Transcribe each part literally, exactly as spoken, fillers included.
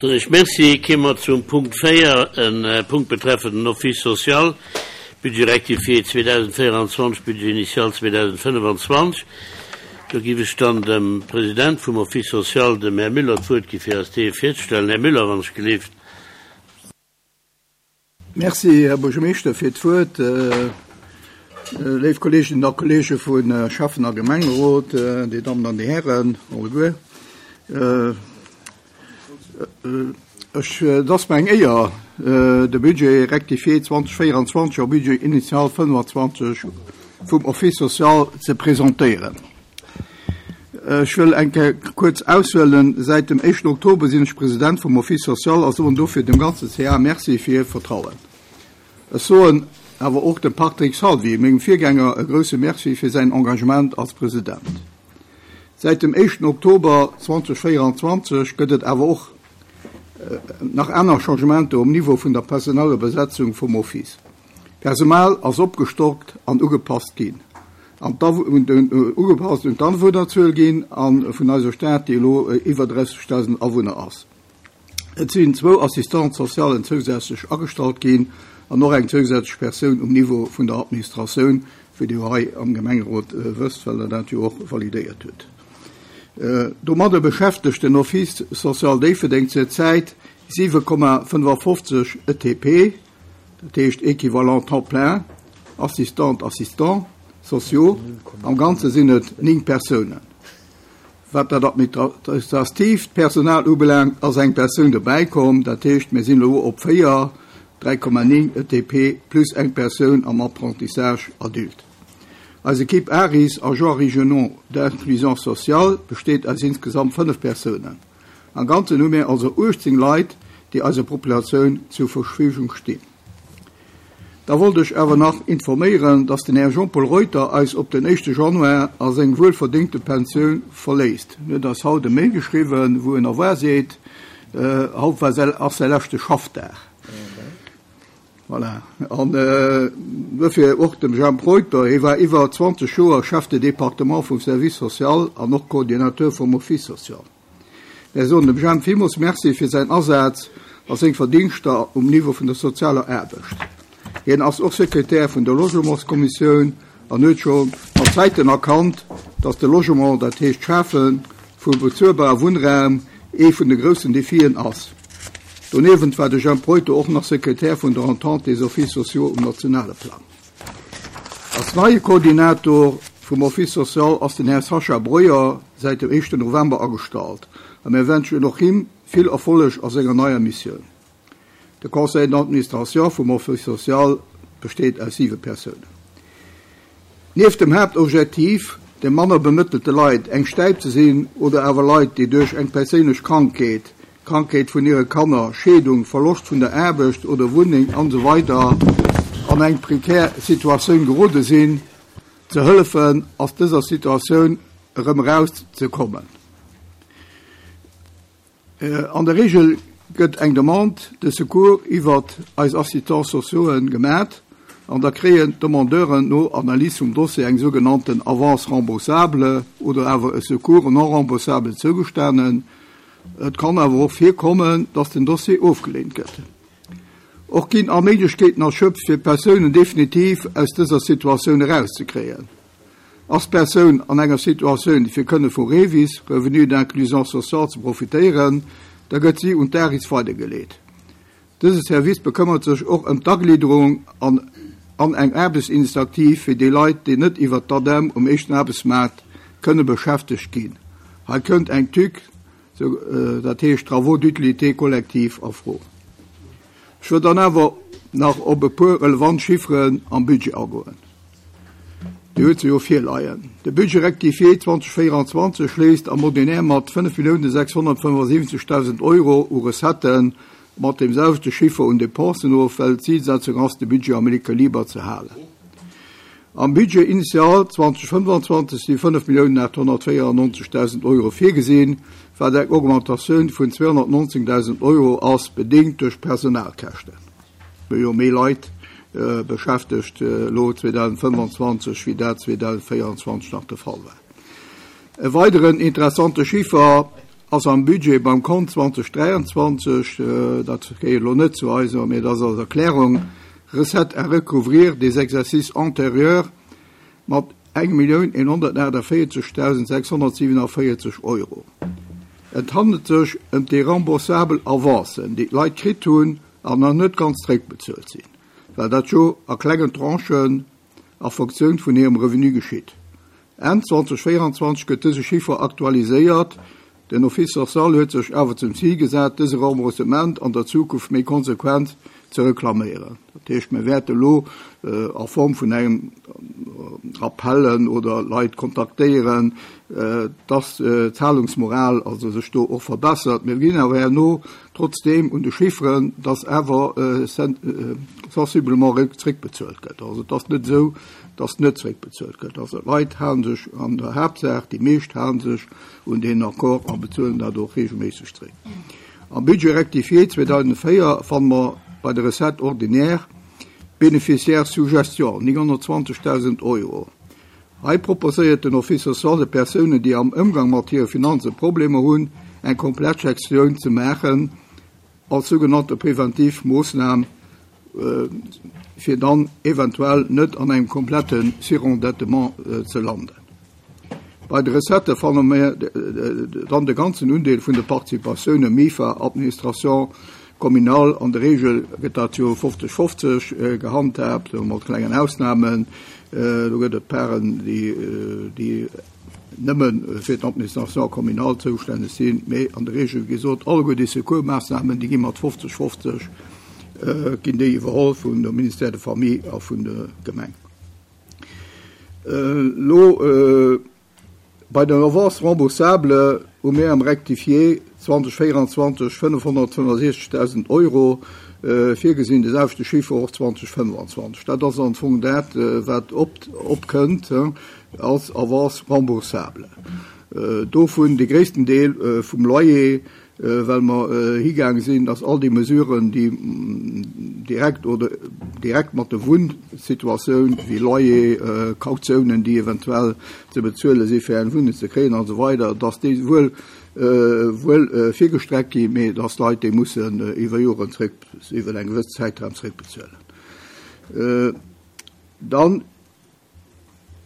Ech Merci. Komme mer zum Punkt véier, en Punkt betreffend den Office social, Budget rectifié zweedausendvéierundzwanzeg, Budget initial zweedausendfënnefuzwanzeg. Do géif ech dann dem President vum Office social, dem Här Müller, d'Wuert gi fir eis dee virzestellen. Här Müller, wann ech gelift. Merci, Här Buergermeeschter, fir d'Wuert. Léif Kolleeginnen a Kollege vu Schäffen- a Gemengerot, déi Dammen an déi Hären alleguer. Ech, et ass mir eng Éier, de Budget rectifié zweedausendvéierundzwanzeg a Budget initial fënnfundzwanzeg vum Office social ze presentéieren. Ech wëll eng Kéier kuerz aushuelen. Säit dem éischten Oktober sinn ech President vum Office social a soen dofir dem ganze C A Merci fir hiert Vertrauen. Ech soen awer och dem Patrick Salvi, mengem Virgänger, e grousse Merci fir säin Engagement als President. Säit dem éischten Oktober zweedausendvéierundzwanzeg gëtt et awer och nach aner Changementer um Niveau vun der personeller Besetzung vum Office. Personal ass opgestockt an ugepasst ginn. An ugepasst un d'Awunnerzuel ginn an vun eiser Stad, déi elo iwwer drëssegdausend Awunner ass. Et sinn zwou Assistants socialen zousätzlech agestallt ginn an och eng zousätzlech Persoun um Niveau vun der Administratioun, wéi Dir hei am Gemengerot wësst, well der dat jo och validéiert hutt. Domadder beschäftegt den Office social Déifferdeng zurzäit siwe Komma fënnefafofzeg E T P, dat heescht équivalent temps plein, Assistant, Assistant sociaux. Am Ganze sinn et néng Persounen. Wat dat administratiivt Personal ubelaangt, ass eng Persoun dobäikomm, dat heescht, mir sinn elo op véier, dräi Komma néng E T P plus eng Persoun am Apprentissage adulte. Eis Ekipp ARIS, Agents régionaux d'inclusion sociale, besteet aus insgesamt fënnef Persounen. Am Ganzen hu mir also uechtzéng Leit, déi eiser Populatioun zur Verfügung stinn. Da wollt ech awer nach informéieren, dass den Här Jean-Paul Reuter eis op den éischte Januar a seng wuelverdéngte Pensioun verléisst. En huet eis haut e Mail geschriwwen, wou en au revoir seet. Haut war ass säi leschte Schaffdag. Voilà. An dofir och dem Jean Reuter, hie war iwwer zwanzeg Joer Chef de département vum Service social an och Coordinateur vum Office social. Mir soen dem Jean villmools Merci fir säin Asaz a seng Verdingschter um Niveau vun der sozialer Aarbecht. Hien ass och Sekretär vun der Logementskommissioun an huet scho mat Zäiten erkannt, dass de Logement, dat heescht d'Schafe vu bezuelbare Wunnraum, ee vun de groussen Defien ass. Doniewent war de Jean Reuter och nach Sekretär vun der Entente des Offices sociaux um nationale Plang. Als neie Koordinator vum Office social ass den Här Sacha Breuer säit dem éischten November agestallt. A mir wënschen och him vill Erfolleg a senger neier Missioun. De Conseil d'administration vum Office social besteet aus siwe Persounen. Nieft dem Haaptobjektiv, de manner bemëttelte Leit eng Stäip ze sinn oder awer Leit, déi duerch eng perséinlech Krankheet, Krankheet vun hire Kanner, Scheedung, Verloscht vun der Aarbecht oder Wunneng an esou weider an eng prekär Situatioun gerode sinn, ze hëllefen, aus dëser Situatioun erëm erauszekommen. An der Regel gëtt eng Demande de secours iwwer eis Assistants sociaux gemaach an da kréien d'Demandeuren no Analys vum Dossier eng sougenannten Avance remboursable oder awer e Secours non remboursable zougestanen. Et kann awer och virkommen, dass den Dossier ofgeleent gëtt. Och ginn all Méiglechkeeten erschöpft, fir Persounen definitiv aus dëser Situatioun erauszekréien. Ass Persoun an enger Situatioun, fir kënne vu REVIS, Revenu d'inclusion sociale, ze profitéieren, da gëtt si un d'ARIS weidergeleet. Dëse Service bekëmmert sech och ëm d'Agliederung an, an eng Aarbechtsinitiativ fir déi Leit, déi net iwwer d'ADEM um éischten Aarbechtsmaart kënne beschäftegt ginn. Hei kënnt eng TÜC, sou, äh, dat heescht Travaux d'utilité collective, a Fro. Ech wëll dann awer nach op e puer relevant Chifferen am Budget agoen. Dir hutt se jo virleien. De Budget rectifié zweedausendvéierundzwanzeg schléisst am Ordinaire mat fënnef Millioune sechshonnertfënnefasiwwenzegdausend Euro u Recetten mat dem selwechte Chiffer un Dépensen of, well d'Zilsetzung ass, de Budget am Equiliber ze halen. Am Budget initial zweedausendfënnfundzwanzeg si fënnef Milliounen aathonnertvéierannonzegdausend Euro virgesinn, wat eng Augmentatioun vun zweehonnertnonzéngdausend Euro ass, bedéngt duerch Personalkäschten. Mir jo méi Leit äh, beschäftegt äh, lo zweedausendfënnfundzwanzeg, wéi dat zweedausendvéierundzwanzeg nach de Fall war. E weideren interessante Chiffer ass am Budget beim Kont zweitausenddräiundzwanzeg, äh, dat gehéiert elo net zu eis, mee dat ass als Erklärung, Recettes à recouvrir des exercices antérieurs mat eng Millioun eenhonnertaachtenvéierzegdausendsechshonnertsiewenenvéierzeg Euro. Et handelt sech ëm déi remboursabel Avancen, déi d'Leit kritt hunn an nach net ganz zréckbezuelt sinn, well dat jo a klengen Tranchen a Funktioun vun hirem Revenu geschitt. Enn zweitausendvéieranzwanzeg gëtt dëse Chiffer aktualiséiert. Den Office social huet sech awer zum Zil gesat, dëse Remboursement an der Zukunft méi konsequent ze reklaméieren. Dat heescht, mir wäerte lo äh, a Form vun engem Rappellen oder Leit kontaktéieren, äh, dass äh, d'Zahlungsmoral also sech do och verbessert. Mir ginn awer herno trotzdeem un de Chifferen, dass awer äh, äh, sensiblement zréckbezuelt gëtt. Also dat ass net esou, dass net zréckbezuelt gëtt. Also d'Leit hale sech an der Haaptsaach, déi meescht hale sech un den Accord a bezuelen dat och reegelméisseg zréck. Am Budget rectifié zweedausendvéier fanne mer bei der Recette ordinaire bénéficiaire sous gestion nénghonnertzwanzegdausend Euro. Hei proposéiert den Office social de Persounen, déi am Ëmgang mat hire Finanze Problemer hunn, eng komplett Gestioun ze maachen als sougenannte präventiv Moossnam, äh, fir dann eventuell net an engem komplette Surendettement äh, ze landen. Bei de Recettë fanne mir dann de ganzen Undeel vun de Participatioune MIFA, Administration communale, an der Reegel gëtt dat jo fofzeg fofzeg äh, gehandhaabt, mat klengen Ausnamen. Äh, do gëtt et Paren, déi, äh, déi nëmme fir d'Administration communale zoustänneg sinn, mee an der Reegel gesot, alleguer déi Secours-Moossnamen, déi gi mat fofzeg fofzeg äh, ginn déi iwwerholl vun der Ministère de Famille a vun der Gemeng. Äh, lo, äh, bei den Avance remboursable hu mir am Rectifié zweitausendvéieranzwanzeg fënnefhonnertfënnefsechzegdausend Euro äh, virgesinn, de selwechte Chiffer och zweitausendfënnfanzwanzeg. Dat ass am Fong dat, äh, wat op, opkënnt äh, als Avance remboursable. Äh, dovun de gréissten Deel äh, vum Loyer, äh, well mer äh, higaange sinn, dass all déi Mesuren, déi mm, direkt oder direkt mat der Wunnsituatioun wéi Loyer, äh, Kautiounen, déi eventuell ze bezuele si fir eng Wunneng ze kréien an esou weider, dass déi wuel äh, wuel äh, virgestreckt ginn, mee dass Leit déi mussen äh, iwwer Joren zréck iwwer eng gewëss Zäitraum zréckbezuelen. Äh, dann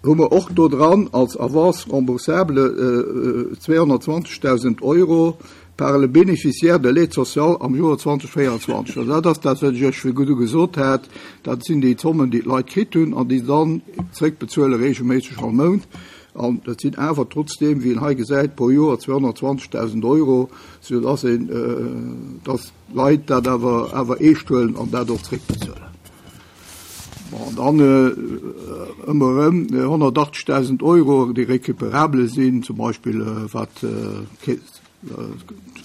hu mer och do dran als Avance remboursable äh, zweehonnertzwanzegdausend Euro par le bénéficiaire de l'aide sociale am Joer zweitausendvéieranzwanzeg. Also dat ass dat, wat ech iech virdru gesot hat, dat sinn déi Zommen, déi d'Leit kritt hunn an déi dann zréckbezuele reegelméisseg all Mount. An dat sinn awer trotzdeem, wéi een hei gesäit, pro Joer zweehonnertzwanzegdausend Euro, sou dass een, äh, dass Leit dat awer awer eescht huelen an dat och zréckbezuelen. Bon, dann äh, ëmmer erëm honnertaachtzegdausend Euro, déi récupérable sinn, zum Beispill äh, wat äh,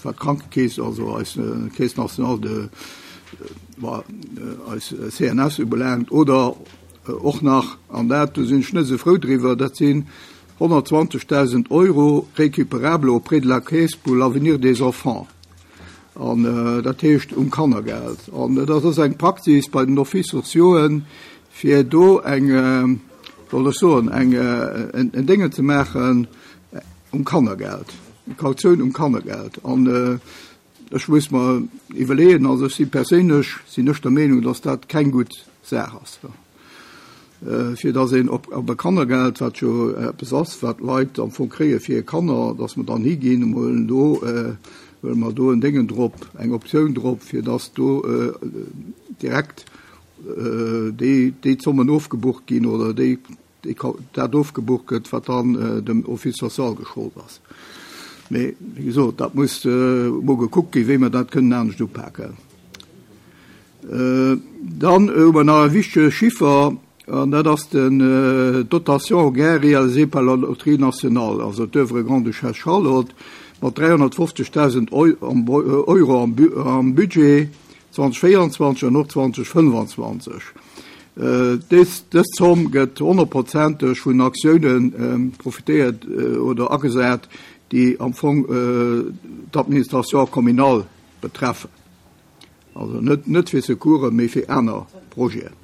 wat d'Krankekeess, also eis äh, Caisse nationale de äh, eis C N S ubelaangt, oder äh, och nach, an dat do sinn ech net sou frou driwwer, dat sinn honnertzwanzegdausend Euro récupérable auprès de la Caisse pour l'avenir des enfants. An äh, dat heescht um Kannergeld. An äh, dat ass eng Praxis bei den Office sociauxen, fir do eng äh, soll ech soen, eng äh, en, en Dinge ze maachen äh, um Kannergeld. Eng Kautioun um Kannergeld. An äh, ech muss mer iwwerleeën, also ech si perséinlech sinn ech der Meenung, dass dat keng gutt Saach ass. Äh, fir dass een op, op e Kannergeld, wat jo eppes ass, wat Leit am Fong kréie fir Kanner, dass mer dann higinn a huelen do äh, huele mer do en Déngen drop, eng Optioun drop, fir dass do äh, direkt äh, déi, déi Zommen ofgebucht ginn oder déi, déi, dat ofgebucht gëtt, wat dann äh, dem Office social geschollt ass. Mee, wéi gesot, dat muss äh, mol gekuckt ginn, wéi mer dat kënnen anescht upaken. Äh, dann hu mer nach e wichtege Chiffer, an dat ass den äh, Dotation gain réalisé par la Loterie nationale, also d'Œuvre Grande-Duchesse Charlotte, mat dräihonnertfofzegdausend Euro am, am Budget zweitausendvéieranzwanzeg an och zweitausendfënnfanzwanzeg. Äh, dës, dës Zomm gëtt honnertprozenteg vun Aktiounen äh, profitéiert äh, oder agesat, déi am Fong äh, d'Administration communale betreffen. Also net, net fir Secours, mee fir aner Projeten.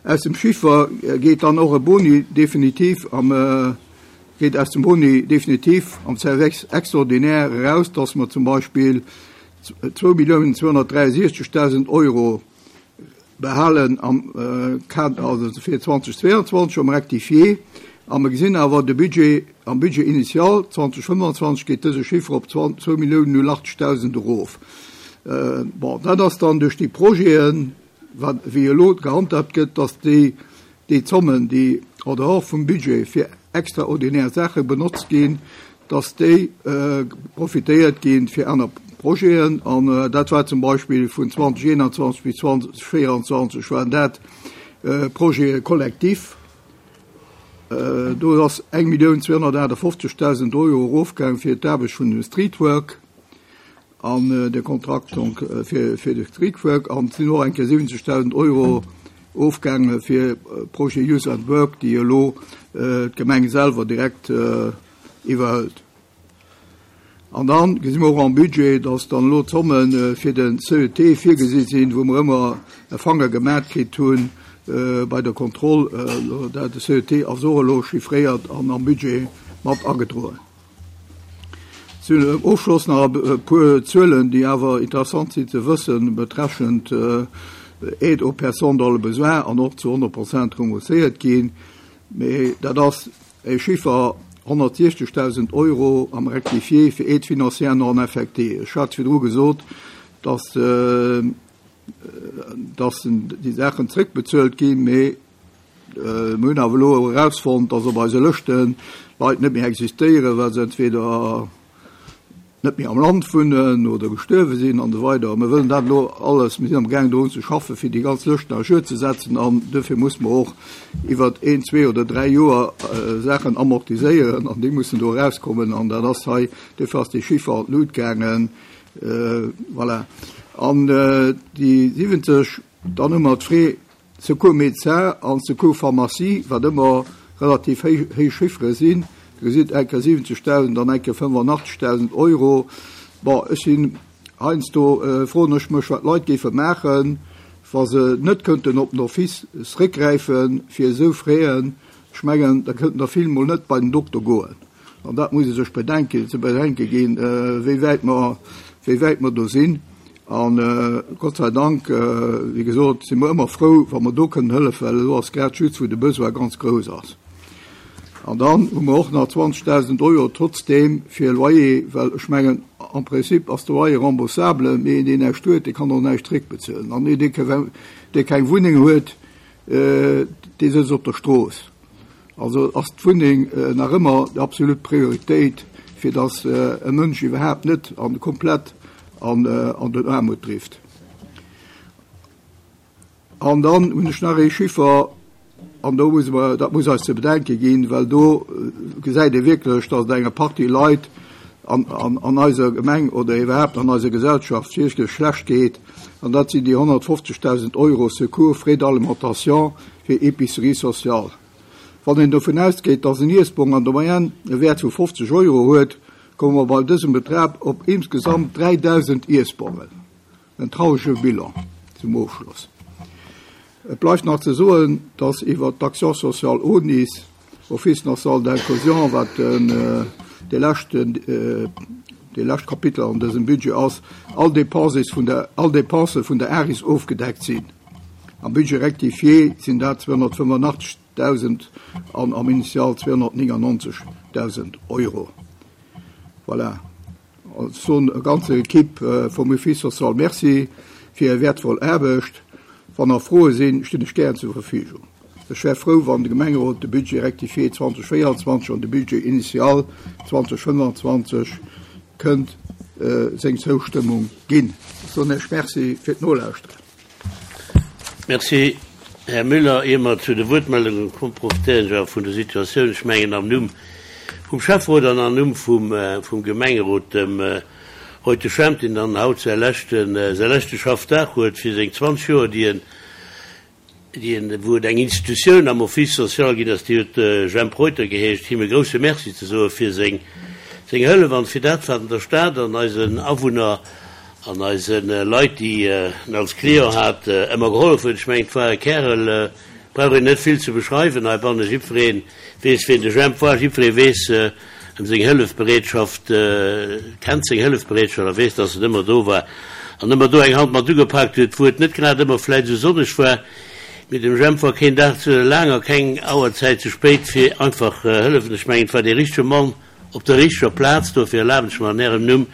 Aus dem Chiffer geet dann och e Boni definitiv am äh, Geet aus dem Boni definitiv am Service extraordinaire eraus, dass mer zum Beispill zwou Milliounen zweehonnertdräiesechzegdausend Euro behalen am Kader, also fir zweitausendzweiundzwanzeg am Rectifié. A mer gesinn awer de Budget, am Budget initial zweitausendfënfundzwanzeg geet dëse Chiffre op zwou Milliounen null achtzegdausend erof. Bon, dat ass dann duerch déi Projeten, wat wéi elo gehandhabt gëtt, dass déi, déi Zommen, déi en dehors vum Budget fir extraordinär Saache benotzt ginn, dass déi profitéiert ginn fir aner Projeten. An dat war zum Beispill vun zweitausendeenundzwanzeg bis zweitausendvéierandzwanzeg waren dat Projete kollektiv. Do ass eng Millioun zweehonnertachtundfünfzigtausend Euro erofgaangen fir d'Aarbecht vun dem Streetwork an de Kontrakt donc fir, fir de Streetwork. An et sinn och eng Kéier siwwenzegdausend Euro ofgaange fir Projet Youth at Work, déi elo d'Gemeng selwer direkt iwwerhëlt. An dann gesi mer och am Budget, dass dann elo d'Zomme fir den C E T virgesi sinn, wou mer ëmmer e Fanger gemat kritt hunn bei der Kontroll. Dat de C E T ass och elo chiffréiert an am Budget mat agedroen. Zum Ofschloss nach e puer Zuelen, déi awer interessant sinn ze wëssen, betreffend Aide aux personnes dans le besoin an och zu honnert Prozent rembourséiert ginn. Mee dat ass e Chiffer honnertsechzigtausend Euro am Rectifié fir Aide financière non affectée. Ech hat virdru gesot, dass, dass déi Saachen zréckbezuelt ginn, mee mir hunn awer elo erausfonnt, dass op eise Lëschten Leit net méi existéieren, well se entweder net méi am Land wunnen oder gestuerwe sinn an esou weider. Mir wëllen dat elo alles, mir sinn am Gaang drun ze schaffen, fir déi ganz Lëschten à jour ze setzen, an dofir muss mer och iwwer een, zwee oder dräi Joer Saachen amortiséieren, an déi mussen do rauskommen, an dat ass hei, dofir ass dee Chiffer an d'Lut gaangen. Voilà. An déi siwwenzeg, dann hu mer d'Frais Secours Médecin an Secours Pharmacie, wat ëmmer relativ héich, héich Chiffere sinn. Du gesitt eng Kéier siwwenzegdausend an eng Kéier fënnefundachtzegdausend Euro. Bon, ech sinn heiansdo, froen ech mech, wat d'Leit géife maachen, wa se net kënnten op den Office zréckgräifen fir esou Fräen. Ech mengen, da kënnten der vill mol net bei den Dokter goen. An dat muss ee sech bedenken, ze bedenke ginn, wéi wäit mer, wéi wäit mer do sinn. An Gott sei Dank, wéi gesot, si mer ëmmer frou, wa mer do kënnen hëllefen, well elo ass grad just, wou de Besoin ganz grouss ass. An dann hu mer och nach zwanzigtausend Euro trotzdem fir Loyer, well ech mengen, am Prinzip ass de Loyer remboursable, mee deen näischt huet, dee kann och näischt zréckbezuelen. An dee, dee keng Wunneng huet, dee sëtzt op der Strooss. Also ass d'Wunneng nach ëmmer déi absolut Prioritéit, fir dass e Mënsch iwwerhaapt net an komplett an, an den Aarmut trifft. An dann hunn ech nach ee Chiffer, an do muss man, dat muss eis ze bedenke ginn, well do gesäit ee wierklech, dass et enger Partie Leit an, an, an eiser Gemeng oder iwwerhaapt an eiser Gesellschaft wierklech schlecht geet. An dat sinn déi honnertfünfzigtausend Euro Secours Frais d'alimentation fir Épicerie sociale. Wann een dovun ausgeet, dass en Iessbong an der Moyenne e Wäert vu fünfzig Euro huet, komme mer bei dësem Betrag op insgesamt dräidausend Iessbongen. En traurige Bilan zum Ofschluss. Et bleift nach ze soen, dass iwwer d'Action sociale O N I S, Office national d'inclusion, wat den, de leschten, de lescht Kapitel an dësem Budget ass, all Dépenses vun der, all Dépense vun der ARIS ofgedeckt sinn. Am Budget rectifié sinn dat zweehonnertfënnefundachtzigtausend an am Initial zweehonnertneunundneunzigtausend Euro. Voilà. Also eine ganze Equipe vum Office social merci fir hir wertvoll Aarbecht. Wann nach Froe sinn, stinn ech gern zur Verfügung. Ech wär frou, wann de Gemengerot de Budget rectifié zweitausendvierundzwanzig an de Budget initial zweitausendfünfundzwanzig kënnt, seng Zoustëmmung ginn. Ech soen Iech Merci fir d'Nolauschteren. Merci, Här Müller. Ier mer zu de Wuertmeldungen kommen, profitéieren ech awer vun der Situatioun. Ech mengen am Numm vum Schäfferot an am Numm vum, vum Gemengerot, dem heute Schemp, deen dann haut säi leschten, säi leschte Schaffdag huet fir seng zwanzig Joer, déi en, déi en, wou et eng Institutioun am Office social ginn ass, déi huet Jemp Reuter geheescht, him e grousse Merci ze soe fir seng, seng Hëllef an fir dat, wat an der Stad an eisen Awunner an eisen Leit, déi en als Client hat, ëmmer geholfen huet. Ech mengen, et war e Kerl, Brauch een net vill ze beschreiwen heibanne. Jiddweree weess, wien de Jemp war. Jiddweree weess ëm seng Hëllefbereetschaft, kennt seng Hëllefbereetschaft a weess, dass en ëmmer do war an ëmmer do eng Hand mat ugepaakt huet, wou et net grad ëmmer vläicht esou sonneg war. Mee dem Jemp war keen Dag ze laang a keng Auerzäit ze spéit fir einfach hëllefen. Ech mengen, et war dee richtege Mann op der richteger Plaz. Dofir erlaben ech mer an Ärem Numm,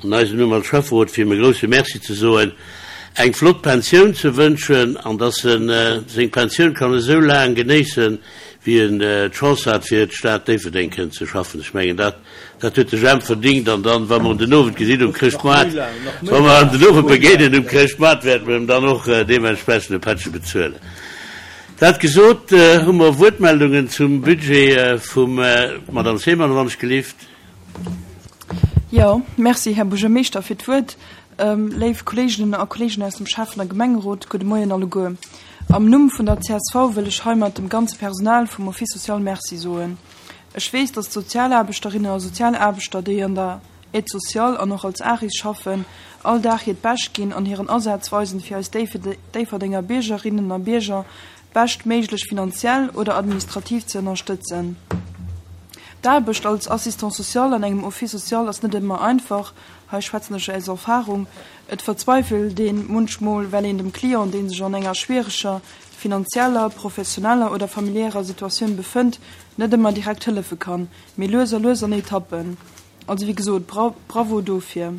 an eisem Numm als Schäfferot, fir him e grouse Merci ze soen, eng flott Pensioun ze wënschen an dass en seng Pensioun kann esou laang genéissen, wéi en d'Chance hat, fir d'Stad Déifferdeng kënnen ze schaffen. Ech mengen, dat, dat huet de Jemp verdingt. An dann, wa mer en den Owend gesinn um Chrëschtmoart, wa mer en den Owend begéinen um Chrëschtmoart, wäerte mer em dann och deementsprechend e Pättche bezuelen. Dat gesot, hu mer Wuertmeldungen zum Budget vum Madame Seemann, wann ech gelift. Jo, merci, Här Buergermeeschter, fir d'Wuert. Léif Kolleeginnen a Kolleegen aus dem Schäffen a Gemengerot, gudde Moien alleguer. Am Numm vun der C S V wëll ech heimat dem ganze Personal vum Office social Merci soen. Ech weess, dass d'Sozialaarbechterinnen a Sozialaarbechter, déi an der Aide sociale an och als ARIS schaffen, all Dag hiert Bescht ginn an hiren Asaz weisen, fir eis Déifferdenger Biergerinnen a Bierger beschtméiglech finanziell oder administrativ ze ënnerstëtzen. D'Aarbecht als Assistant social an engem Office social ass net ëmmer einfach, hei schwätzen ech aus Erfahrung. Et verzweifelt ee munchmol, well een dem Client, dee sech an enger schwiereger finanzieller, professioneller oder familiärer Situatioun befënnt, net ëmmer direkt hëllefe kann, mee lues a lues an Etappen. Also wéi gesot, Bravo dofir.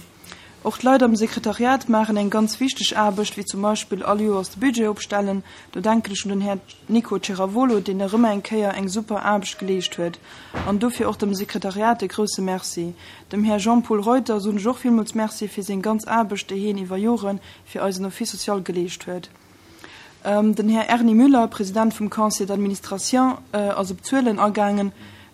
Och d'Leit am Sekretariat maachen eng ganz wichteg Aarbecht, wéi zum Beispill all Joers de Budget opstellen. Do denken ech un den Här Nico Ceravolo, deen erëm eng Kéier eng super Aarbecht geleescht huet. An dofir och dem Sekretariat e grouse Merci. Dem Här Jean-Paul Reuter soen ech och villmools Merci fir seng ganz Aarbecht, déi hien iwwer Jore fir eisen Office social geleescht huet. Den Här Erny Müller, President vum Conseil d'administration, ass op d'Zuelen agaangen.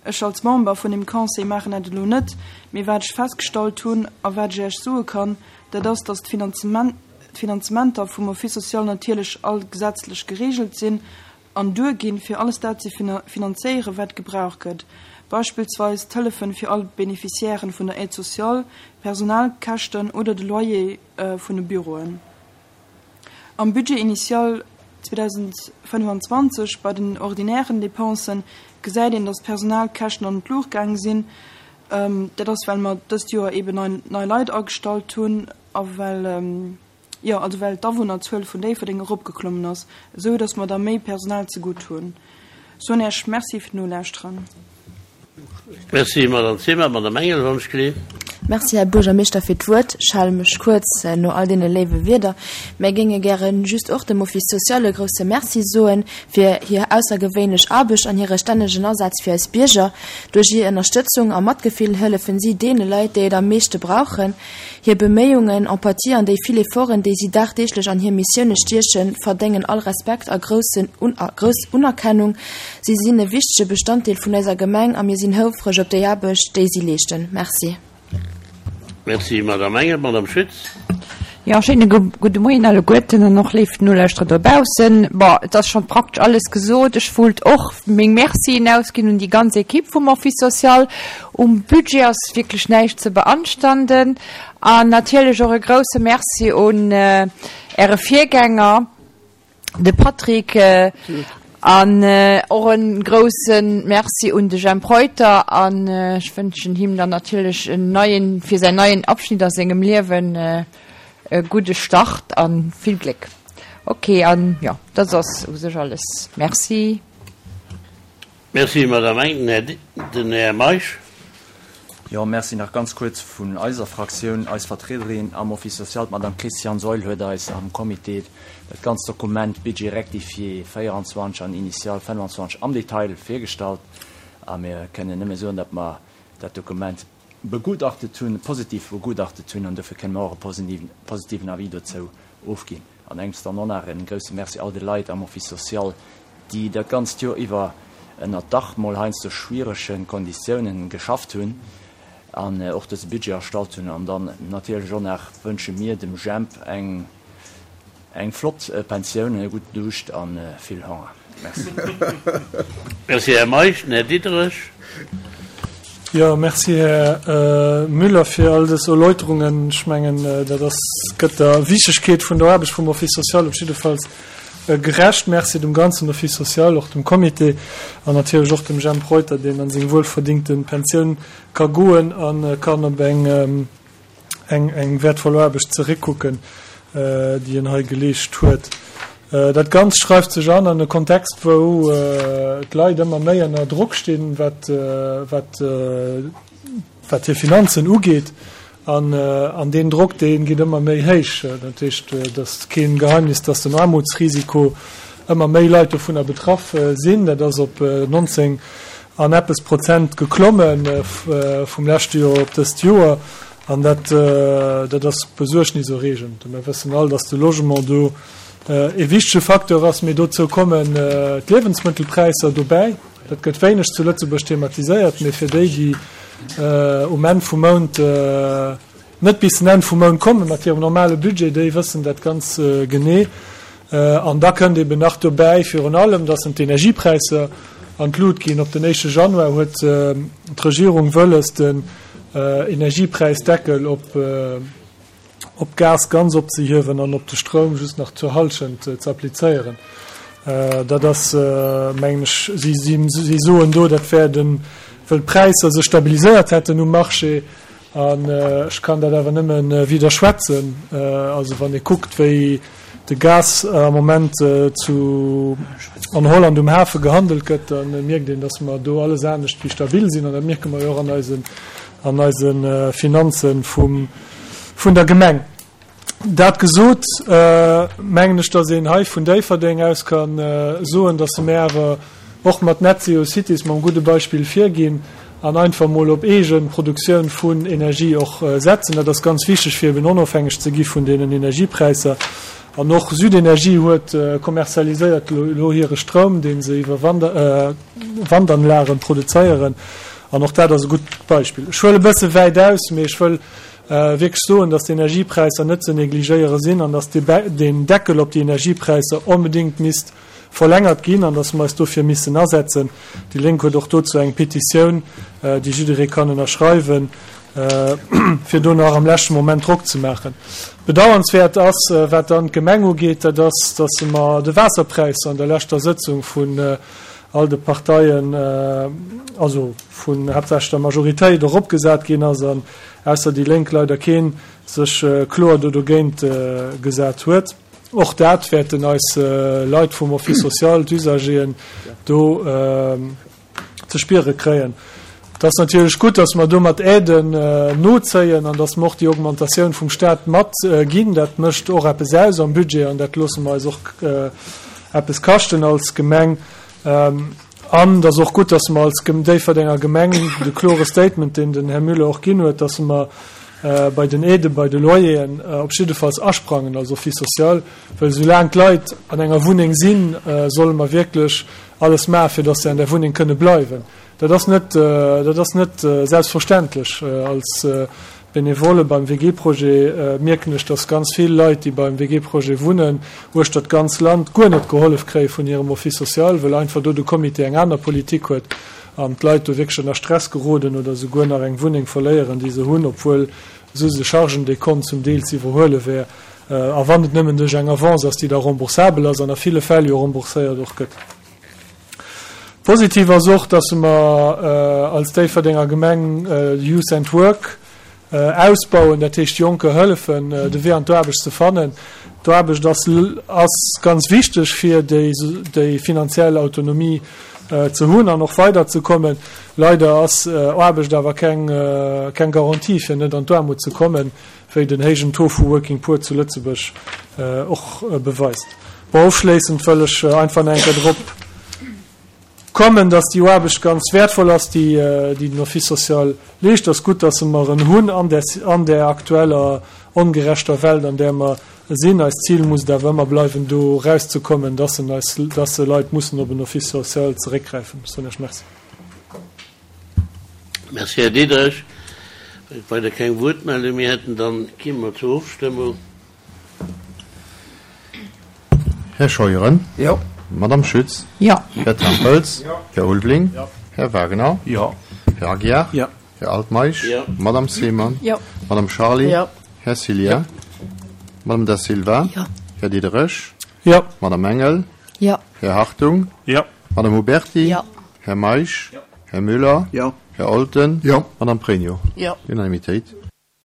Ech als Member vun dem Conseil maachen dat elo net, mee wat ech festgestallt hunn a wat ech Iech soe kann, dat ass, dass d'Finanzementer vum Office social natierlech all gesetzlech gereegelt sinn an duerginn, fir alles dat ze finanzéieren, wat gebraucht gëtt, beispillsweis d'Hëllefen fir all Beneficiairen vun der Aide sociale, Personalkäschten oder de Loyer vun de Büroen. Am Budget initial zweedausendfënnefanzwanzeg bei den ordinären Dépensen gesäit een, dass d'Personalkäschten an d'Luucht gaange sinn. Dat ass, well mer dëst Joer eben nei, nei Leit agestallt hunn a well, jo, also well d'Awunnerzuel vun Déifferdeng eropgeklommen ass, esou dass mer da méi Personal zegutt hunn. Soen Iech Merci fir d'Nolauschteren. Merci, Madame Zimmer. Madame Engel, wann ech gelift. Merci, Här Buergermeeschter, fir d'Wuert. Ech hale mech kuerz no all deene léiwe Wierder. Mir géinge gäre just och dem Office social e grouse Merci soen fir hir aussergewéinlech Aarbecht an hire stännegen Asaz fir eis Bierger. Duerch hir Ënnerstëtzung a Matgefill hëllefen si deene Leit, déi et am meeschte brauchen. Hir Beméiungen, Empathie an déi vill Efforten, déi si dagdeeglech an hir Missioune stiechen, verdéngen all Respekt a groussen, grouss Unerkennung. Si sinn e wichtege Bestanddeel vun eiser Gemeng a mir sinn houfreg op déi Aarbecht, déi si leeschten. Merci. Merci, Madame Engel. Madame Schütz. Jo, schéine gudde Moien alleguerten an och léif Nolauschterer dobaussen. Bon, et ass schonn praktesch alles gesot. Ech wollt och meng Mercien ausginn un déi ganz Ekipp vum Office social. Um Budget ass wierklech näischt ze beanstanden. An natierlech och e grouse Merci un Äre Virgänger, de Patrick, an och e grouse Merci un de Jemp Reuter. An ech wënschen him dann natierlech en neien, fir säin neien Abschnitt a sengem Liewen e gudde Start a vill Gléck. Ok, an jo, dat ass u sech alles. Merci. Merci, Madame Engel. Den Här Meisch. Jo, merci. Nach ganz kuerz vun eiser Fraktioun. Eis Vertriederin am Office social, d'Madame Christiane Seul, huet eis am Comité dat ganzt Dokument Budget rectifié véieranzwanzeg an initial fënnfanzwanzeg am Detail virgestallt. A mir kënnen nëmme soen, datt mer dat Dokument begutachtet hunn, positiv begutachtet hunn, an dofir kënne mer och e positiven Avis dozou ofginn. An engems dann och nach e grouse Merci all de Leit am Office social, déi dat ganzt Joer iwwer ënner dach mol heiansdo schwierege Konditiounen geschafft hunn an och dëse Budget erstallt hunn. An dann natierlech och nach wënsche mir dem Jemp eng eng flott Pensioun, e gudden Duuscht a vill Honger. Merci. Merci, Här Meisch. Den Här Diderich. Jo, merci, Här Müller, fir all dës Erläuterungen. Ech mengen, dat ass, gëtt der Wichtegkeet vun der Aarbecht vum Office social op jiddefalls gerecht. Merci dem ganzen Office social, och dem Comité an natierlech och dem Jemp Reuter, deen an seng wuelverdingte Pensioun ka goen a kann op eng eng eng wäertvoll Aarbecht zeréckkucken, déi en hei geleescht huet. Dat Ganzt schreift sech an an e Kontext, wou d'Leit ëmmer méi ënner Drock stinn, wat wat wat hir Finanzen ugeet. An an deen Drock, dee geet ëmmer méi héich. Dat heescht, et ass keen Geheimnis, dass den Aarmutsrisiko ëmmer méi Leit dovunner betraff sinn. Dat ass op nonzéng an eppes Prozent geklomme vum leschte Joer op dëst Joer. An dat dat ass besuergniserreegend. Mir wëssen all, dass de Logement do e wichtege Facteur ass, mee dozou kommen d'Liewensmëttelpräisser dobäi. Dat gëtt wéineg zu Lëtzebuerg thematiséiert, mee fir déi, déi um Enn vum Mount net bis den Enn vum Mount komme mat hirem normale Budget, déi wëssen dat ganz genee. An da kënnt eben nach dobäi virun allem, dass d'Energiepräisser an d'Lut ginn. Op den éischte Januar huet d'Regierung wëlles, den Energiepräisdeckel op op Gas ganz opzehiewen an op de Stroum just nach zur Hallschent ze applizéieren. Dat ass, mengen ech, si si soen do, dat wär den, wëll d'Präisser sech stabiliséiert hätten um Marché. An ech kann dat awer nëmme widderschwätzen. Also wann ee kuckt, wéi de Gas am Moment zu an Holland um Hafe gehandelt gëtt, da mierkt een, datt mer do alles anescht wéi stabil sinn. An dat mierke mer jo och an eisen an eise Finanze vum vun der Gemeng. Dat gesot, mengen ech, datt een hei vun Déifferdeng aus ka soen, datt mer awer och mat Net Zero Cities mam gudde Beispill virginn an einfach mol op eege Produktioun vun Energie och setzen. Dat ass ganz wichteg, fir eben onofhängeg ze gi vun deenen Energiepräisser. An och Südenergie huet kommerzialiséiert elo hire Stroum, dee se iwwer Wandanlagen produzéieren. An och dat ass e gutt Beispill. Ech huele e bësse wäit aus, mee ech wëll wierklech soen, dass d'Energiepräisser net ze negligéiere sinn an dass deen Deckel op déi Energiepräisser onbedéngt misst verlängert ginn an dass mer eis dofir missen asetzen. Déi Lénk huet och dozou eng Petitioun, déi jidderee kann ënnerschreiwen, fir do nach am leschte Moment Drock ze maachen. Bedauernswäert ass, wat dann d'Gemeng ugeet, dat ass, dass mer de Waasserpräis an der leschter Sëtzung vun all de Parteien, also vun haaptsächlech der Majoritéit, eropgesat ginn ass an ausser déi Lénk leider kee sech kloer do dogéint gesat huet. Och dat wäerten eis Leit vum Office social, d'Usageren, do ze spiere kréien. Et ass natierlech gutt, dass mer do mat Aiden nozéien an dass mer och déi Augmentatioun vum Stat matginn. Dat mécht och eppes aus am Budget an dat loosse mer eis och eppes kaschten als Gemeng. An et ass och gutt, dass mer als Déifferdenger Gemeng de klore Statement, deen den Här Müller och ginn huet, dass mer bei den Aiden, bei de Loyeren op jiddefalls asprangen als Office social, well soulaang d'Leit an enger Wunneng sinn, solle mer wierklech alles maachen, fir dass se an där Wunneng kënne bleiwen. Dat ass net, dat ass net selbstverständlech. Als Benevole beim W G-Projet mierken ech, dass ganz vill Leit, déi beim W G-Projet wunnen, uechter d'ganz Land guer net gehollef kréie vun hirem Office social, well einfach do de Comité eng aner Politik huet an d'Leit do wierklech ënner Stress geroden oder souguer nach eng Wunneng verléieren, déi se hunn, obwuel souse Chargendekont zum Deel ze iwwerhuele wär, a wann et nëmmen duerch eng Avance ass, déi da remboursabel ass an a ville Fäll jo rembourséiert och gëtt. Positiv ass och, dass mer als Déifferdenger Gemeng Youth and Work ausbauen, dat heescht Jonke hëllefen, de Wee an d'Aarbecht ze fannen. D'Aarbecht ass ass ganz wichteg, fir déi déi finanziell Autonomie ze hunn an och weiderzekommen. Leider ass Aarbecht awer keng keng Garantie, fir net an d'Aarmut ze kommen, wéi den héijen Taux vu Working Poor zu Lëtzebuerg och beweist. Bon, ofschléissend wëll ech einfach nach eng Kéier drop kommen, dass déi Aarbecht ganz wäertvoll ass, déi déi den Office social leescht. Et ass gutt, dass mer en hunn an där an där aktueller ongerechter Welt, an där mer sinn. Eist Zil muss et awer ëmmer bleiwen, do erauszekommen, dass en eis, dass se Leit mussen op en Office social zeréckgräifen. Ech soen Iech Merci. Merci, Här Diderich. Well et weider keng Wuertmeldung méi hätten, dann gi mer zur Ofstëmmung. Här Scheuren. Jo. Madame Schütz. Jo. Här Tempels. Jo. Här Ulveling. Jo. Här Wagener. Jo. Här Aguiar. Jo. Här Altmeisch. Jo. Madame Seemann. Jo. Madame Charly. Jo. Här Cillien. Jo. Madame Da Silva. Jo. Här Diderich. Jo. Madame Engel. Jo. Här Hartung. Jo. Madame Huberty. Jo. Här Meisch. Jo. Här Müller. Jo. Här Olten. Jo. Madame Pregno. Jo. Unanimitéit.